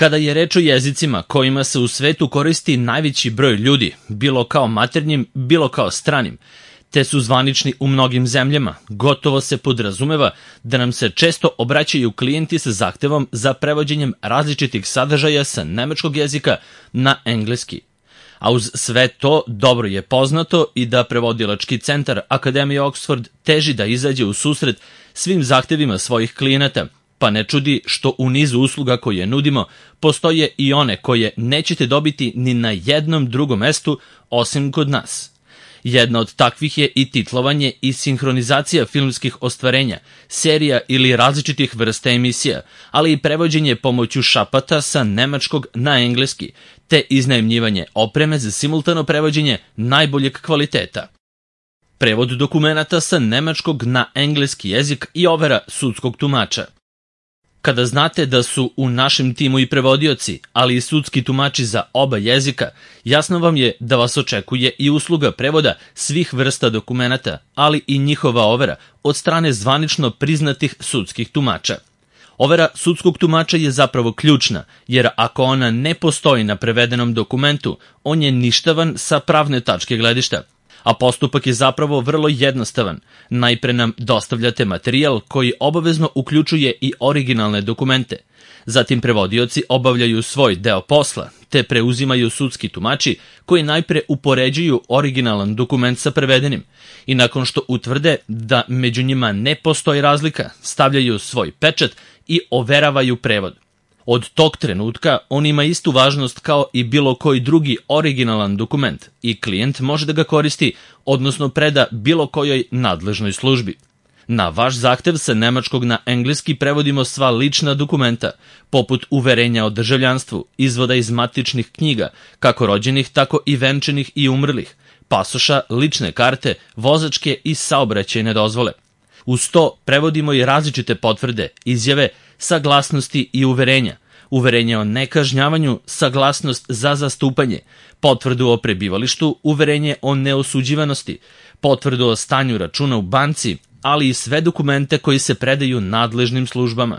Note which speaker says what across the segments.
Speaker 1: Kada je reč o jezicima kojima se u svetu koristi najveći broj ljudi, bilo kao maternjim, bilo kao stranim, te su zvanični u mnogim zemljama, gotovo se podrazumeva da nam se često obraćaju klijenti sa zahtevom za prevođenjem različitih sadržaja sa nemačkog jezika na engleski. A uz sve to dobro je poznato i da prevodilački centar Akademije Oxford teži da izađe u susret svim zahtevima svojih klijenata, pa ne čudi što u nizu usluga koje nudimo postoje i one koje nećete dobiti ni na jednom drugom mestu osim kod nas. Jedna od takvih je i titlovanje i sinhronizacija filmskih ostvarenja, serija ili različitih vrsta emisija, ali i prevođenje pomoću šapata sa nemačkog na engleski, te iznajmljivanje opreme za simultano prevođenje najboljeg kvaliteta. Prevod dokumenata sa nemačkog na engleski jezik i overa sudskog tumača. Kada znate da su u našem timu i prevodioci, ali i sudski tumači za oba jezika, jasno vam je da vas očekuje i usluga prevoda svih vrsta dokumenata, ali i njihova overa od strane zvanično priznatih sudskih tumača. Overa sudskog tumača je zapravo ključna, jer ako ona ne postoji na prevedenom dokumentu, on je ništavan sa pravne tačke gledišta. A postupak je zapravo vrlo jednostavan. Najpre nam dostavljate materijal koji obavezno uključuje i originalne dokumente. Zatim prevodioci obavljaju svoj deo posla, te preuzimaju sudski tumači koji najpre upoređuju originalan dokument sa prevedenim i nakon što utvrde da među njima ne postoji razlika, stavljaju svoj pečat i overavaju prevod. Od tog trenutka on ima istu važnost kao i bilo koji drugi originalan dokument i klijent može da ga koristi, odnosno preda bilo kojoj nadležnoj službi. Na vaš zahtev sa nemačkog na engleski prevodimo sva lična dokumenta, poput uverenja o državljanstvu, izvoda iz matičnih knjiga, kako rođenih, tako i venčanih i umrlih, pasoša, lične karte, vozačke i saobraćajne dozvole. Uz to prevodimo i različite potvrde, izjave, saglasnosti i uverenja, uverenje o nekažnjavanju, saglasnost za zastupanje, potvrdu o prebivalištu, uverenje o neosuđivanosti, potvrdu o stanju računa u banci, ali i sve dokumente koji se predaju nadležnim službama.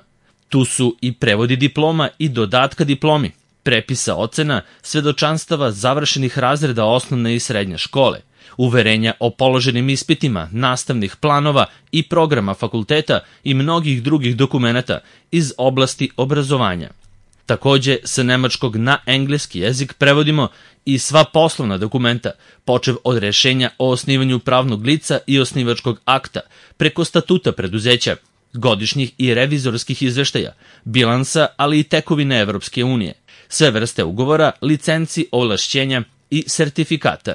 Speaker 1: Tu su i prevodi diploma i dodatka diplomi, prepisa ocena, svedočanstava završenih razreda osnovne i srednje škole, uverenja o položenim ispitima, nastavnih planova i programa fakulteta i mnogih drugih dokumenata iz oblasti obrazovanja. Takođe, sa nemačkog na engleski jezik prevodimo i sva poslovna dokumenta, počev od rešenja o osnivanju pravnog lica i osnivačkog akta, preko statuta preduzeća, godišnjih i revizorskih izveštaja, bilansa, ali i tekovine Evropske unije, sve vrste ugovora, licenci, ovlašćenja i sertifikata.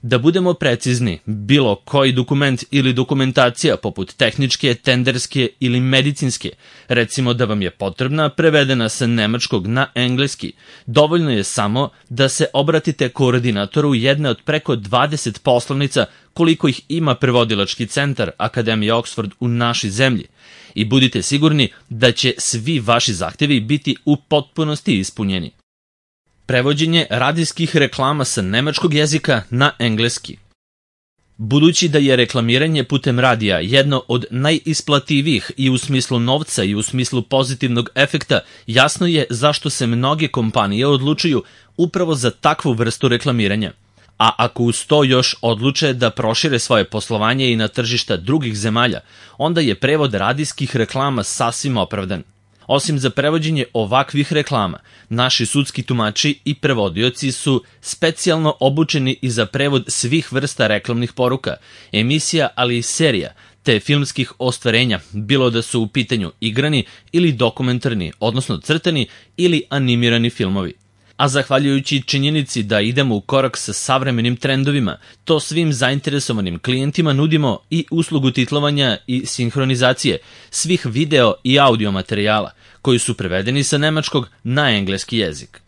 Speaker 1: Da budemo precizni, bilo koji dokument ili dokumentacija poput tehničke, tenderske ili medicinske, recimo da vam je potrebna prevedena sa nemačkog na engleski, dovoljno je samo da se obratite koordinatoru jedne od preko 20 poslovnica koliko ih ima prevodilački centar Akademije Oxford u našoj zemlji i budite sigurni da će svi vaši zahtevi biti u potpunosti ispunjeni. Prevođenje radijskih reklama sa nemačkog jezika na engleski. Budući da je reklamiranje putem radija jedno od najisplativijih i u smislu novca i u smislu pozitivnog efekta, jasno je zašto se mnoge kompanije odlučuju upravo za takvu vrstu reklamiranja. A ako uz to još odluče da prošire svoje poslovanje i na tržišta drugih zemalja, onda je prevod radijskih reklama sasvim opravdan. Osim za prevođenje ovakvih reklama, naši sudski tumači i prevodioci su specijalno obučeni i za prevod svih vrsta reklamnih poruka, emisija, ali i serija, te filmskih ostvarenja, bilo da su u pitanju igrani ili dokumentarni, odnosno crtani ili animirani filmovi. A zahvaljujući činjenici da idemo u korak sa savremenim trendovima, to svim zainteresovanim klijentima nudimo i uslugu titlovanja i sinhronizacije svih video i audio materijala koji su prevedeni sa nemačkog na engleski jezik.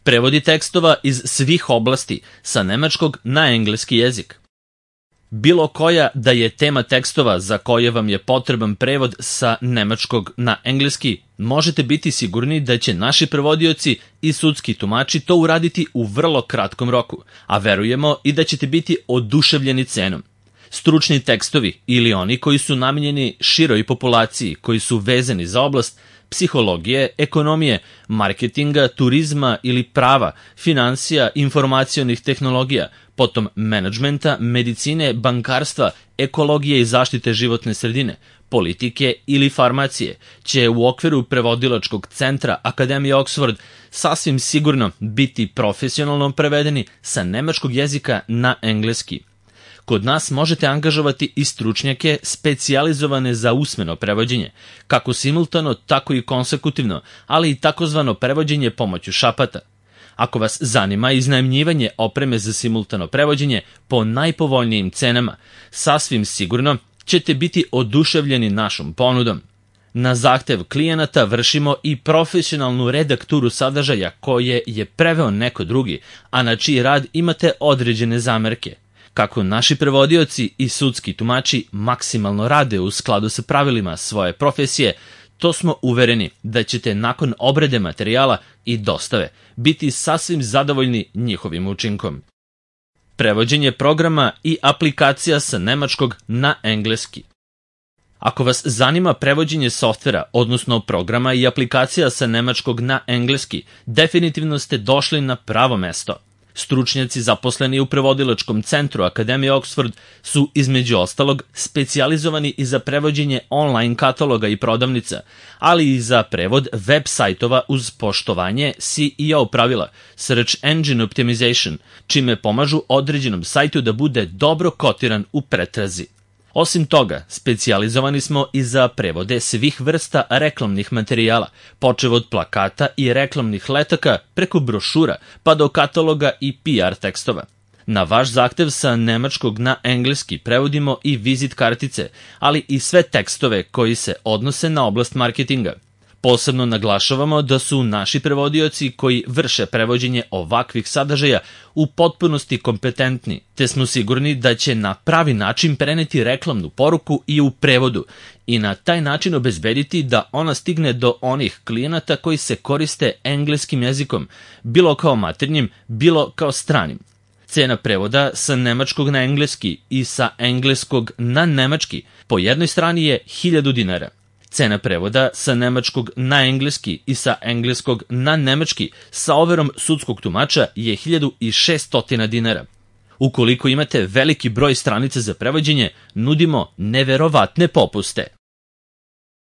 Speaker 1: Prevodi tekstova iz svih oblasti sa nemačkog na engleski jezik. Bilo koja da je tema tekstova za koje vam je potreban prevod sa nemačkog na engleski, možete biti sigurni da će naši prevodioci i sudski tumači to uraditi u vrlo kratkom roku, a verujemo i da ćete biti oduševljeni cenom. Stručni tekstovi ili oni koji su namijenjeni široj populaciji, koji su vezani za oblast, psihologije, ekonomije, marketinga, turizma ili prava, finansija, informacionih tehnologija, potom menadžmenta, medicine, bankarstva, ekologije i zaštite životne sredine, politike ili farmacije, će u okviru prevodilačkog centra Akademije Oxford sasvim sigurno biti profesionalno prevedeni sa nemačkog jezika na engleski. Kod nas možete angažovati i stručnjake specijalizovane za usmeno prevođenje, kako simultano, tako i konsekutivno, ali i takozvano prevođenje pomoću šapata. Ako vas zanima iznajmljivanje opreme za simultano prevođenje po najpovoljnijim cenama, sasvim sigurno ćete biti oduševljeni našom ponudom. Na zahtev klijenata vršimo i profesionalnu redakturu sadržaja koje je preveo neko drugi, a na čiji rad imate određene zamerke. Kako naši prevodioci i sudski tumači maksimalno rade u skladu sa pravilima svoje profesije, to smo uvereni da ćete nakon obrade materijala i dostave biti sasvim zadovoljni njihovim učinkom. Prevođenje programa i aplikacija sa nemačkog na engleski. Ako vas zanima prevođenje softvera, odnosno programa i aplikacija sa nemačkog na engleski, definitivno ste došli na pravo mesto. Stručnjaci zaposleni u prevodilačkom centru Akademije Oxford su između ostalog specijalizovani i za prevođenje online kataloga i prodavnica, ali i za prevod web sajtova uz poštovanje SEO pravila, Search Engine Optimization, čime pomažu određenom sajtu da bude dobro kotiran u pretrazi. Osim toga, specijalizovani smo i za prevode svih vrsta reklamnih materijala, počev od plakata i reklamnih letaka preko brošura pa do kataloga i PR tekstova. Na vaš zahtev sa nemačkog na engleski prevodimo i vizit kartice, ali i sve tekstove koji se odnose na oblast marketinga. Posebno naglašavamo da su naši prevodioci koji vrše prevođenje ovakvih sadržaja u potpunosti kompetentni, te smo sigurni da će na pravi način preneti reklamnu poruku i u prevodu i na taj način obezbediti da ona stigne do onih klijenata koji se koriste engleskim jezikom, bilo kao maternjim, bilo kao stranim. Cena prevoda sa nemačkog na engleski i sa engleskog na nemački po jednoj strani je 1000 dinara. Cena prevoda sa nemačkog na engleski i sa engleskog na nemački sa overom sudskog tumača je 1600 dinara. Ukoliko imate veliki broj stranica za prevođenje, nudimo neverovatne popuste.